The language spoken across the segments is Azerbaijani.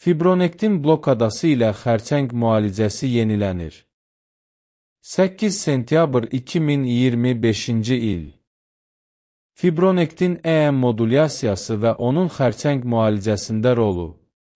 Fibronektin blokadası ilə xərçəng müalicəsi yenilənir. 8 sentyabr 2025-ci il. Fibronektin EM modulyasiyası və onun xərçəng müalicəsində rolu.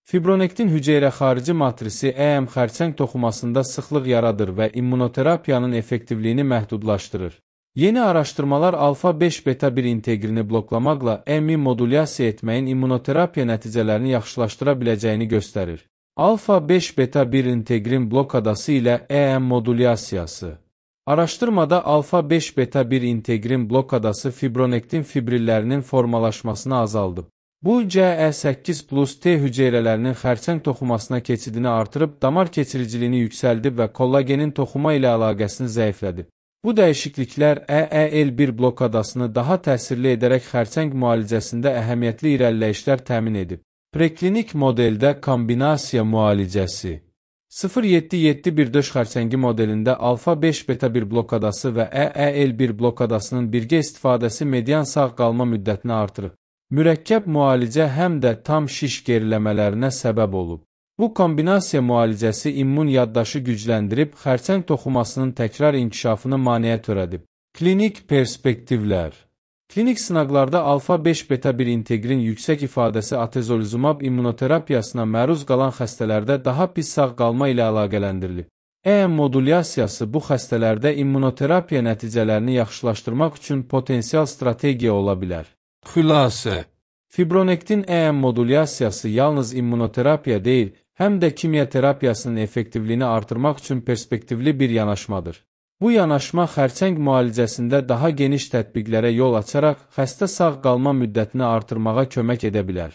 Fibronektin hüceyrə-xarici matrisi EM xərçəng toxumasında sıxlıq yaradır və immunoterapiyanın effektivliyini məhdudlaşdırır. Yeni araşdırmalar alfa-5 beta-1 integrini bloklamaqla EM-i modulyasiya etməyin immunoterapiya nəticələrini yaxşılaşdıra biləcəyini göstərir. Alfa-5 beta-1 integrin blokadası ilə EM modulyasiyası. Araşdırmada alfa-5 beta-1 integrin blokadası fibronektin fibrillərinin formalaşmasını azaldıb. Bu, CE8+T hüceyrələrinin xərçəng toxumasına keçidini artırıb, damar keçiriciliyini yüksəldib və kollagenin toxuma ilə əlaqəsini zəiflədib. Bu dəyişikliklər EEL1 blokadasını daha təsirli edərək xərçəng müalicəsində əhəmiyyətli irəliləyişlər təmin edib. Preklinik modeldə kombinasiya müalicəsi 0,7,7,1 xərçəngi modelində alfa-5 beta-1 blokadası və EEL1 blokadasının birgə istifadəsi median sağ qalma müddətini artırıb. Mürəkkəb müalicə həm də tam şiş geriləmələrinə səbəb olub. Bu kombinasiya müalicəsi immun yaddaşı gücləndirib, xərçəng toxumasının təkrar inkişafını maneə törədib. Klinik perspektivlər. Klinik sınaqlarda alfa-5 beta-1 integrin yüksək ifadəsi atezolizumab immunoterapiyasına məruz qalan xəstələrdə daha pis sağ qalma ilə əlaqələndirilib. EM modulyasiyası bu xəstələrdə immunoterapiya nəticələrini yaxşılaşdırmaq üçün potensial strategiya ola bilər. Xülasə. Fibronektin EM modulyasiyası yalnız immunoterapiya deyil, həm də kimya terapiyasının effektivliyini artırmaq üçün perspektivli bir yanaşmadır. Bu yanaşma xərçəng müalicəsində daha geniş tətbiqlərə yol açaraq xəstə sağ qalma müddətini artırmağa kömək edə bilər.